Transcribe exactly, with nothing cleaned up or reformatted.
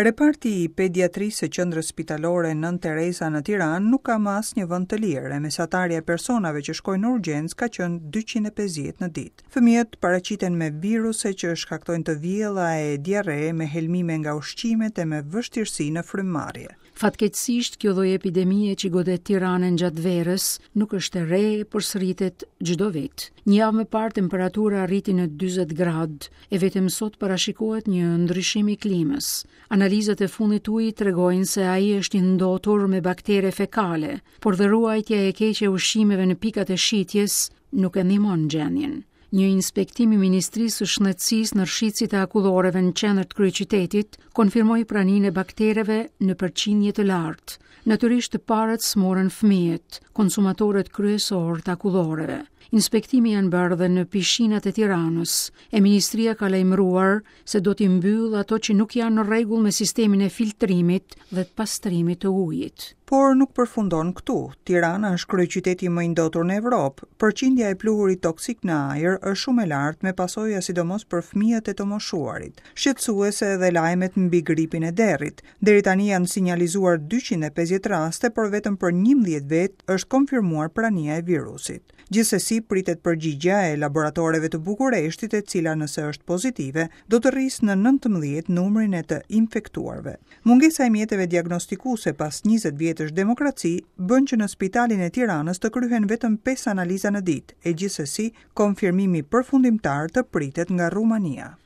Reparti i pediatrisë së Qendrës Spitalore Nënë Tereza në Tiranë nuk ka më asnjë vend të lirë, e mesatarja e personave që shkojnë në urgjencë ka qenë dyqind e pesëdhjetë në ditë. Fëmijët paraqiten me viruse që shkaktojnë të vjella e diarre, me helmime nga ushqimet e me vështirësi në frymëmarrje. Fatkeqësisht, kjo lloj epidemie që godet Tiranën gjatë verës nuk është e re, por sëritet çdo vit. Një javë më parë temperatura arriti në dyzet gradë, e vetëm sot parashikohet një ndryshim i klimës. Analizat e fundit të ujit tregojnë se ai është i ndotur me baktere fekale, por dhe ruajtja e keqe e ushqimeve në pikat e shitjes nuk e ndihmon gjendjen. Një inspektim i Ministrisë së Shëndetësisë në rrshicit e akulloreve në qendër të kryeqytetit konfirmoi praninë e baktereve në përqindje të lartë. Natyrisht të parët smurën fëmijët, konsumatorët kryesor të akulloreve. Inspektimi janë bërë dhe në pishinat e Tiranës, e ministria ka lajmëruar se do t'i mbyllë ato që nuk janë në rregull me sistemin e filtrimit dhe të pastrimit të ujit. Por nuk përfundon këtu. Tirana është kryeqyteti më i ndotur në Evropë. Përqindja e pluhurit toksik në ajër është shumë e lartë, me pasoja sidomos për fëmijët e të moshuarit. Shqetësuese edhe lajmet mbi gripin e derrit. Deri tani janë sinjalizuar dyqind e pesëdhjetë raste, por vetëm për njëmbëdhjetë vet është konfirmuar prania e virusit. Gjithsesi pritet përgjigjja e laboratoreve të Bukureshtit, e cila nëse është pozitive, do të rrisë në nëntëmbëdhjetë numrin e të infektuarve. Mungesa e mjeteve diagnostikuese pas njëzet vjetësh demokraci bën që në spitalin e Tiranës të kryhen vetëm pesë analiza në ditë, e gjithsesi konfirmimi përfundimtar të pritet nga Rumania.